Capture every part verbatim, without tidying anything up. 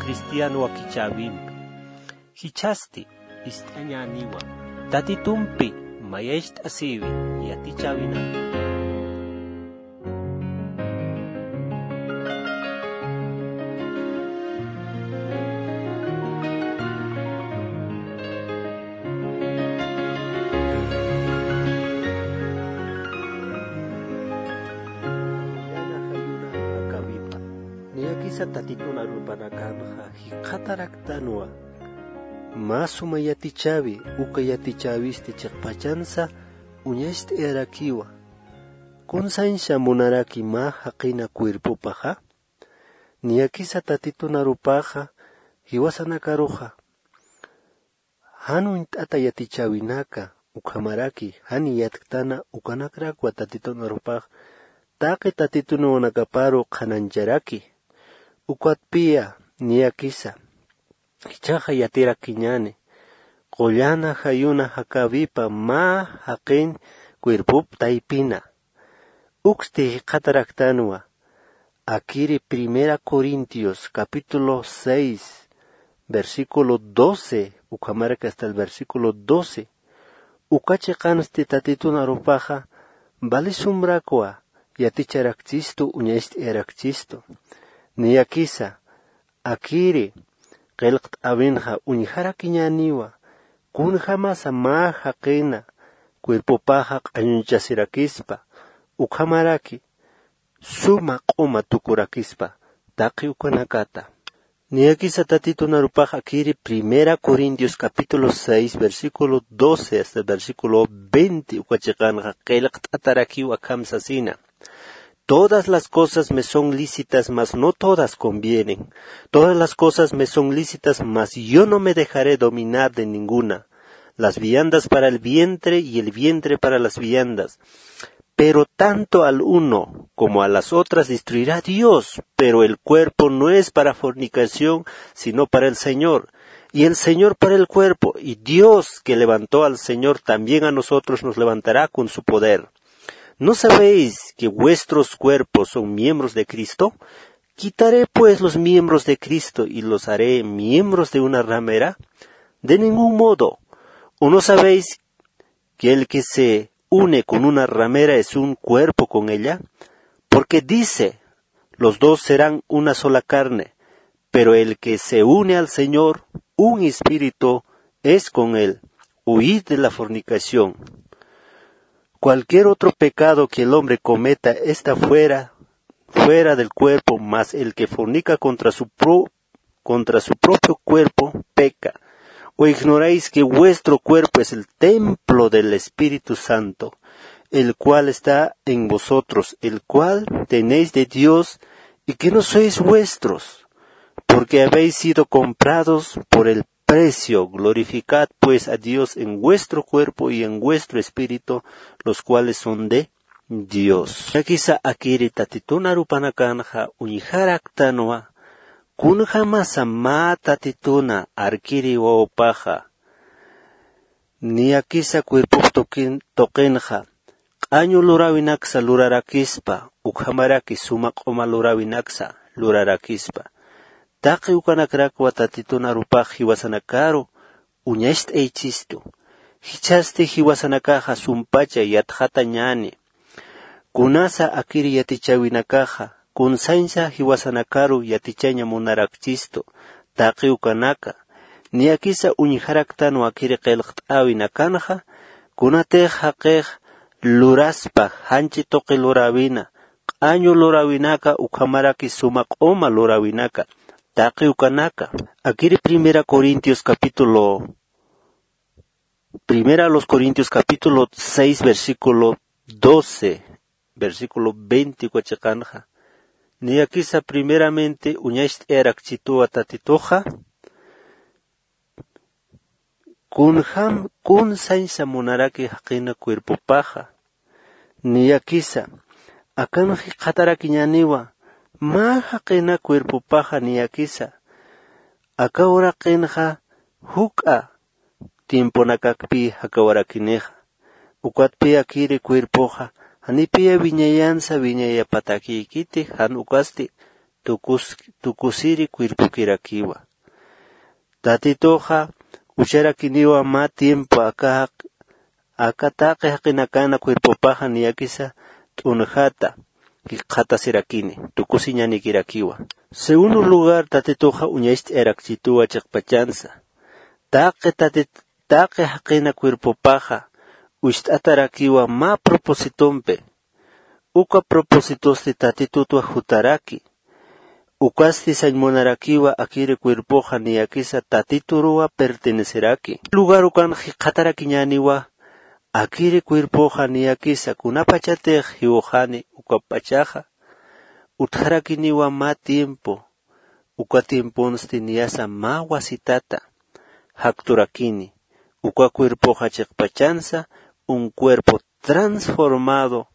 Cristiano wakichäwimpi. Jichhasti ist'añäniwa. Tatitumpi mayacht'asïwi yatichäwinaka. Niyakisa tatitun arupanakanxa jikxataraktanwa. Mä suma yatichäwi, uka yatichäwisti chiqpachansa uñacht'ayarakiwa. Kunsañsa munaraki mä jaqina cuerpopaxa? Niyakisa tatitun arupaxa jiwasanakaruxa jan uñt'ata yatichäwinaka, ukhamaraki jan yatktana ukanakrakwa tatitun arupax taqi tatitunawanakaparu qhanañcharaki. Ukatpiya niyakisa jichhaxa yatirakiñäni, qullana jayuna jakäwipa mä jaqin cuerpop taypina. Uksti jikxataraktanwa, akiri Primera Corintios capítulo seis, versículo doce, ukhamaraki hasta el versículo doce. Uka chiqansti tatitun arupaxa valisumrakwa yaticharakchistu, uñacht'ayarakchistu. Niyakisa akiri qillqt'äwinxa uñjarakiñäniwa, kunjämasa mä jaqina cuerpopaxa q'añuñchasirakispa, ukhamaraki suma q'uma tukurakispa taqi ukanakata. Niyakisa tatitun arupax akiri Primera Corintios capítulo seis, versículo doce hasta el versículo veinte uka chiqanxa qillqt'atarakiw akham sasina: Todas las cosas me son lícitas, mas no todas convienen. Todas las cosas me son lícitas, mas yo no me dejaré dominar de ninguna. Las viandas para el vientre y el vientre para las viandas. Pero tanto al uno como a las otras destruirá Dios, pero el cuerpo no es para fornicación, sino para el Señor, y el Señor para el cuerpo, y Dios que levantó al Señor también a nosotros nos levantará con su poder. ¿No sabéis que vuestros cuerpos son miembros de Cristo? ¿Quitaré pues los miembros de Cristo y los haré miembros de una ramera? De ningún modo. ¿O no sabéis que el que se une con una ramera es un cuerpo con ella? Porque dice: "Los dos serán una sola carne". Pero el que se une al Señor, un espíritu es con él. Huid de la fornicación. Cualquier otro pecado que el hombre cometa está fuera, fuera del cuerpo, mas el que fornica contra su pro-, contra su propio cuerpo peca. ¿O ignoráis que vuestro cuerpo es el templo del Espíritu Santo, el cual está en vosotros, el cual tenéis de Dios, y que no sois vuestros, porque habéis sido comprados por el precio? Glorificad pues a Dios en vuestro cuerpo y en vuestro espíritu, los cuales son de Dios. Niyakisa akiri tatitun arupanakanxa uñjaraktanwa, kunjämasa mä tatituna arkiri wawapaxa niyakisa cuerpop tuqin-, tuqinxa q'añu luräwinaksa lurarakispa, ukhamaraki suma q'uma luräwinaksa lurarakispa. Taqi ukanakrakwa tatitun arupax jiwasanakaru uñacht'aychistu. Jichhasti jiwasanakaxa sumpacha yatxatañäni. Kunasa akiri yatichäwinakaxa kunsañsa jiwasanakaru yatichaña munarakchistu taqi ukanaka. Niyakisa uñjaraktanwa akiri qillqt'äwinakanxa, kunatix jaqix luraspa janchi tuqi luräwina, q'añu luräwinaka ukhamaraki suma q'uma luräwinaka taqi ukanaka. Akiri Primera Corintios capítulo, Primera a los Corintios capítulo seis, versículo doce, versículo veinte uka chiqanxa. Niyakisa primeramente uñacht'ayarakchituwa tatituxa, kunjam, kunsañsa munaraki jaqina cuerpopaxa. Niyakisa akan jikxatarakiñäniwa, mä jaqina cuerpopaxa niyakisa aka uraqinxa juk'a tiemponakakpi jakawarakinixa. Ukatpï akiri cuerpoxa janipiya wiñayansa wiñayapatakïkiti, jan ukasti tukus tukusiri cuerpokirakiwa. Tatituxa ucharakiniwa mä tiempo aka jaq aka taqi jaqinakana cuerpopaxa niyakisa t'unjata jikxatasirakini tukusiñanikirakiwa. Segundo lugar, tatituxa uñacht'ayarakchituwa chiqpachansa taqi tatit taqi jaqina cuerpopaxa ucht'atarakiwa mä propositompi. Uka propositosti tatitutwa jutaraki. Ukasti sañ munarakiwa akiri cuerpoxa niyakisa tatituruwa perteneceraki. Lugar ukan jikxatarakiñäniwa akiri cuerpoxa niyakisa kunapachatix jiwxani uka p'achaxa utjarakiniwa mä tiempo. Uka tiemponsti niyasa mä wasitata jakturakini. Uka cuerpoxa chiqpachansa un cuerpo transformado,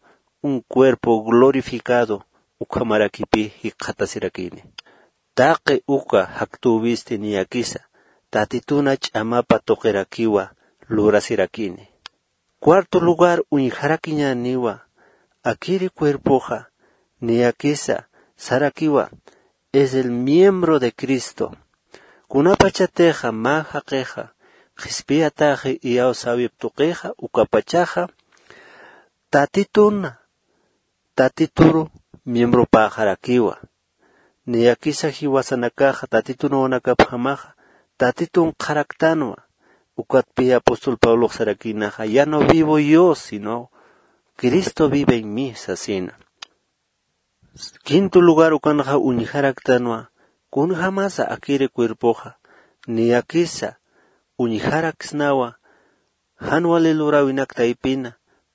un cuerpo glorificado ukhamarakipi jikxatasirakini. Taqi uka jaktüwisti niyakisa tatituna ch'amapa tuqirakiwa lurasirakini. Cuarto lugar, uñjarakiñäniwa akiri cuerpoxa niyakisa sarakiwa es el miembro de Cristo. Kunapachatixa mä jaqixa qhispiyataxi iyawsäwip tuqixa ukapachaxa tatitun tatituru miembropäxarakiwa. Niyakisa jiwasanakaxa tatitun wawanakapjamaxa tatitun qharaktanwa. Ukatpï apóstol pablox sarakïnaxa ya no vivo yo sino cristo vive en mí sasina. Quinto lugar ukanxa uñjaraktanwa kunjamasa akiri cuerpoxa niyakisa uñjaraksnawa jan wali luräwinak taypina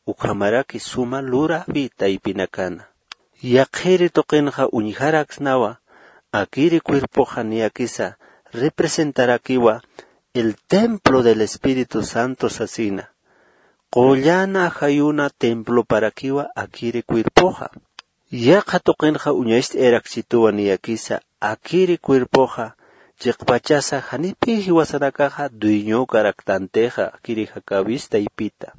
ukhamaraki suma luräwi taypinakana. Yaqhiri tuqinxa uñjaraksnawa akiri cuerpoxa niyakisa representarakiwa el templo del espíritu santo sasina. Qullan ajayuna temploparakiwa akiri cuerpoxa. Yaqha tuqinxa uñacht'ayarakchituwa niyakisa akiri cuerpoxa chiqpachasa janipï jiwasanakaxa dueñokaraktantixa akiri jakäwis taypita.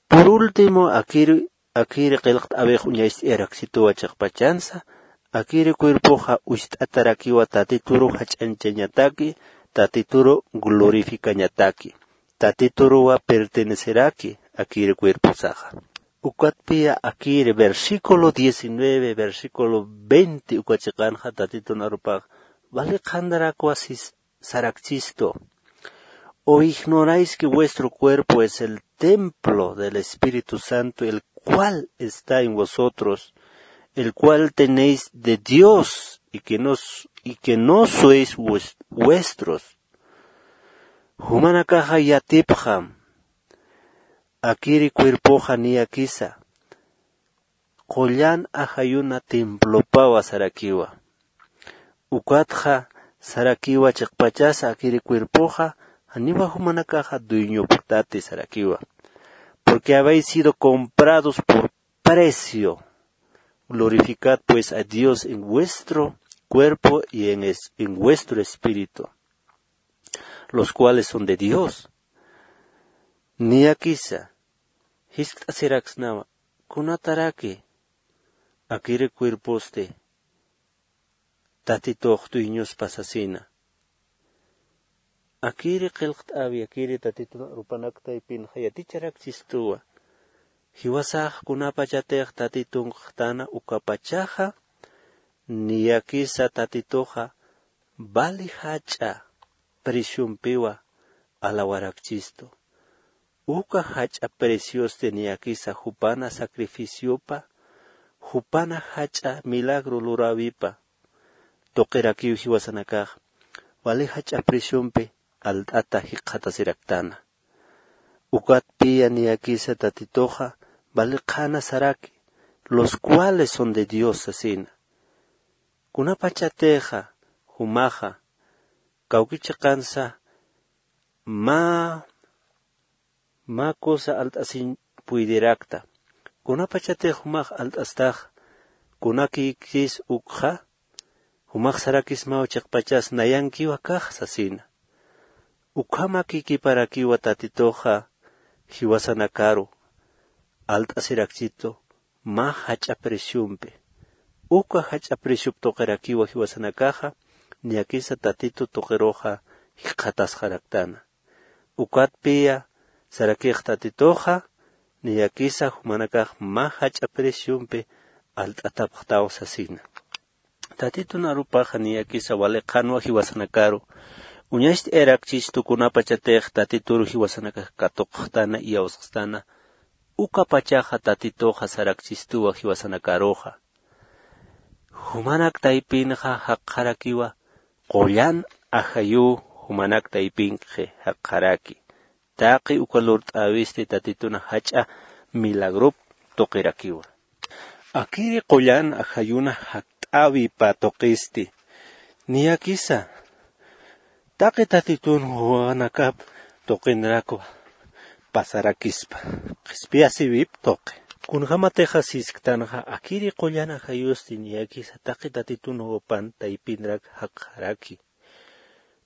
Por último akiri akiri qillqt'äwix uñacht'ayarakchituwa chiqpachansa akiri cuerpoxa ucht'atarakiwa tatituru jach'añchañataki tatituru glorificañataki. Tatituruwa perteneceraki akiri cuerposaxa. Ukatpï akiri versículo diecinueve versículo veinte uka chiqanxa tatitun arupax wali qhantarakwa sarakchistu. ¿O ignoráis que vuestro cuerpo es el templo del Espíritu Santo, el cual está en vosotros, el cual tenéis de Dios y que no, y que no sois vuestros? Jumanakaxa yatipxam akiri cuerpoxa niyakisa qullan ajayuna templopawa sarakiwa. Ukatxa sarakiwa chiqpachasa akiri cuerpoxa janiwa jumanakaxa dueñopxtati sarakiwa. Porque habéis sido comprados por precio. Glorificad pues a Dios en vuestro cuerpo y en, es- en vuestro espíritu, los cuales son de Dios. Niyakisa jiskt'asiraksnawa kunataraki akiri cuerposti tatitux dueñospa sasina. Akiri qillqt'äwi akiri tatitun arupanak taypinxa yaticharakchistuwa. Jiwasax kunapachatix tatitun q'tana ukapachaxa niyakisa tatituxa vali jach'a preciompiwa alawarakchistu. Uka jach'a preciosti niyakisa jupana sacrificiopa jupana jach'a milagro luräwipa tuqirakiw jiwasanakax wali jach'a preciompi alt'ata jikxatasiraktana. Ukatpï niyakisa tatituxa vali qhana saraki los cuales son de Dios sasina. Kunapachatixa jumaxa kawki chiqansa mä mä cosa alt'asiñ puydirakta. Kunapachatix jumax alt'astax kunakïkis ukxa jumax sarakismaw chiqpachas nayankiw akax sasina. Ukhamakïkiparakiwa tatituxa jiwasanakaru alt'asirakchitu mä jach'a preciompi. uka jach'a preciop tuqirakiwa jiwasanakaxa, niyakisa Tatitu tuqiruxa jikxatasxaraktana. Ukatpiya sarakix Tatituxa, niyakisa jumanakax mä jach'a preciompi alt'atapxtaw sasina. Tatitun arupaxa niyakisa wali qhanwa jiwasanakaru, uñacht'ayarakchistu kunapachatix Tatituru jiwasanakax katuqxtana iyawsxstana, ukapachaxa Tatituxa sarakchistuwa jiwasanakaruxa. Jumanak taypinxa jaqxarakiwa, qullan ajayuw jumanak taypinkxi jaqxaraki. Taqi uka lurt'äwisti Tatituna jach'a milagrop tuqirakiwa. Akiri qullan ajayuna jakt'äwipa tuqisti. Niyakisa, taqi Tatitun jumanakap tuqinrakwa pasarakispa. Qhispiyasiwip tuqi. Kunjamatixa sisktanxa akiri qullan ajayusti niyakisa taqi Tatitun jupan taypinrak jaqxaraki.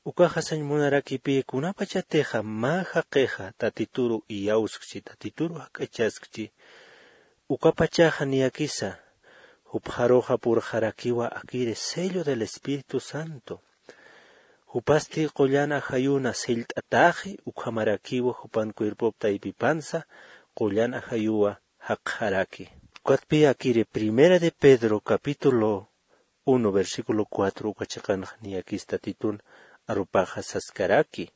Ukaxa sañ munarakipi kunapachatixa mä jaqixa Tatituru iyawskchi, Tatituru jak'achaskchi, ukapachaxa niyakisa jupxaruxa purxarakiwa akiri sello del Espíritu Santo. Jupasti qullan ajayuna sellt'ataxi, ukhamarakiwa jupan cuerpop taypipansa qullan ajayuwa jaqxaraki. Ukatpi akiri Primera de Pedro capítulo uno, versículo cuatro uka chiqanxa niyakis Tatitun arupaxa saskaraki.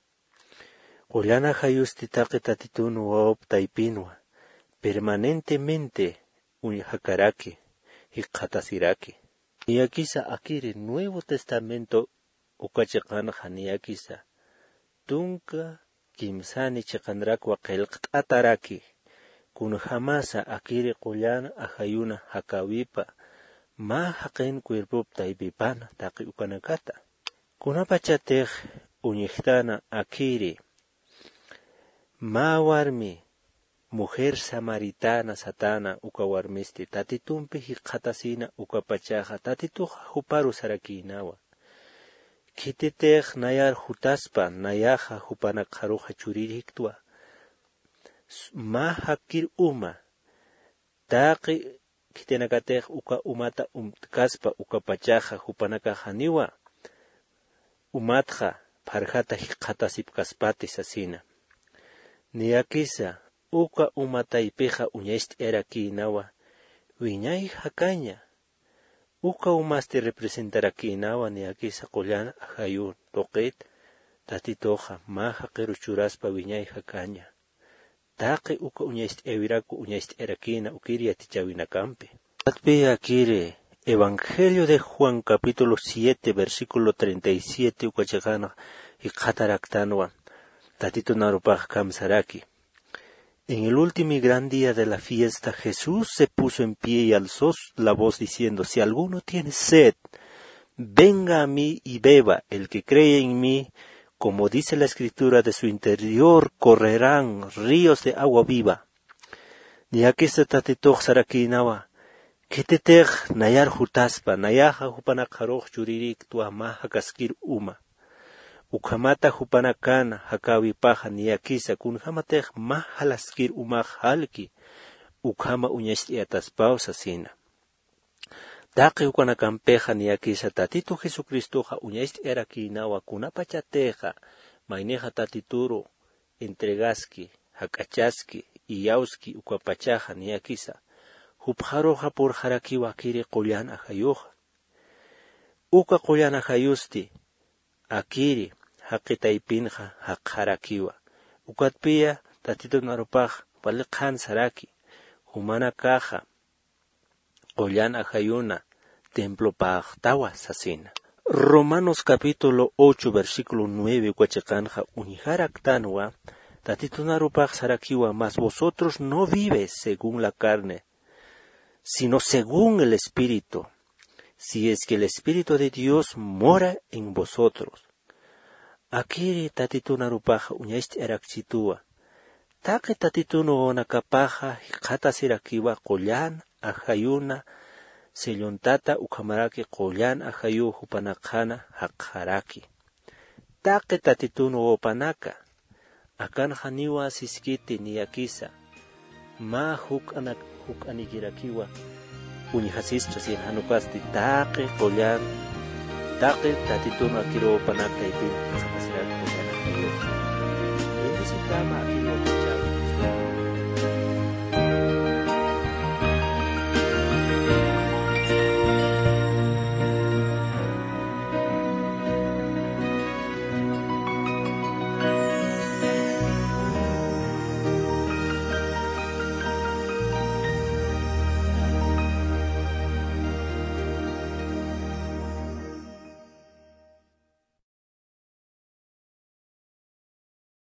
Qullan ajayusti taqi Tatitun wawap taypinwa permanentemente uñjakaraki, jikxatasiraki. Niyakisa akiri Nuevo Testamento uka chiqanxa niyakisa tunka kimsani chiqanrakwa qillqt'ataraki, kunjamasa akiri qullan ajayuna jakäwipa mä jaqin cuerpop taypipana taqi ukanakata. Kunapachatix uñjtana akiri mä warmi, mujer samaritana satana uka warmisti Tatitumpi jikxatasina ukapachaxa Tatituxa juparu sarakïnawa. Khititix nayar jutaspa, nayaxa jupanakxaruxa chuririktwa. S-, mä jakkir uma, taqi khitinakatix uka umata umtkaspa ukapachaxa jupanakax janiwa umatxa pharjata jikxatasipkaspati sasina. Niyakisa uka uma taypixa uñacht'ayarakïnawa, wiñay jakaña. Uka umasti representarakïnawa niyakisa qullan ajayun tuqit Tatituxa mä jaqiru churaspa wiñay jakaña. Taqi uka uñacht'ayawiraku uñacht'ayarakïna ukir yatichäwinakampi. Ukatpi akiri Evangelio de Juan capítulo siete, versículo treinta y siete uka chiqanxa jikxataraktanwa, Tatitun arupax kamsaraki. En el último y gran día de la fiesta, Jesús se puso en pie y alzó la voz diciendo: "Si alguno tiene sed, venga a mí y beba. El que cree en mí, como dice la Escritura, de su interior correrán ríos de agua viva". Niyakisa Tatitux sarakïnawa, khititix nayar jutaspa, nayaxa jupanakxarux chuririktwa mä jakaskir uma. Ukhamata jupanakana jakäwipaxa niyakisa kunjamatix mä jalaskir umax jalki, ukhama uñacht'ayataspaw sasina. Taqi ukanakampixa niyakisa Tatitu Jesucristoxa uñacht'ayarakïnawa kunapachatixa maynixa Tatituru entregaski, jak'achaski, iyawski ukapachaxa niyakisa jupxaruxa purxarakiwa akiri qullan ajayuxa. Uka qullan ajayusti akiri jaqi taypinxa jaqxarakiwa. Ukatpiya Tatitun arupax wali qhan saraki, jumanakaxa qullan ajayuna templopäxtawa sasina. Romanos capítulo ocho, versículo nueve uka chiqanxa uñjaraktanwa, Tatitun arupax sarakiwa: "Mas vosotros no vives según la carne, sino según el Espíritu, si es que el Espíritu de Dios mora en vosotros". Akiri Tatitun arupaxa uñacht'ayarakchituwa. Taqi Tatitun wawanakapaxa jikxatasirakiwa qullan ajayuna sellontata ukhamaraki qullan ajayu jupanakxana jaqxaraki. Taqi Tatitun wawapanaka, akan janiwa siskiti niyakisa, mä juk'anak-, juk'anikirakiwa uñjasispa, sasina jan ukasti taqi qullan, taqi Tatitun akiruw panak taypin, capacidad qullan akiruw. Bendecitama akiruw.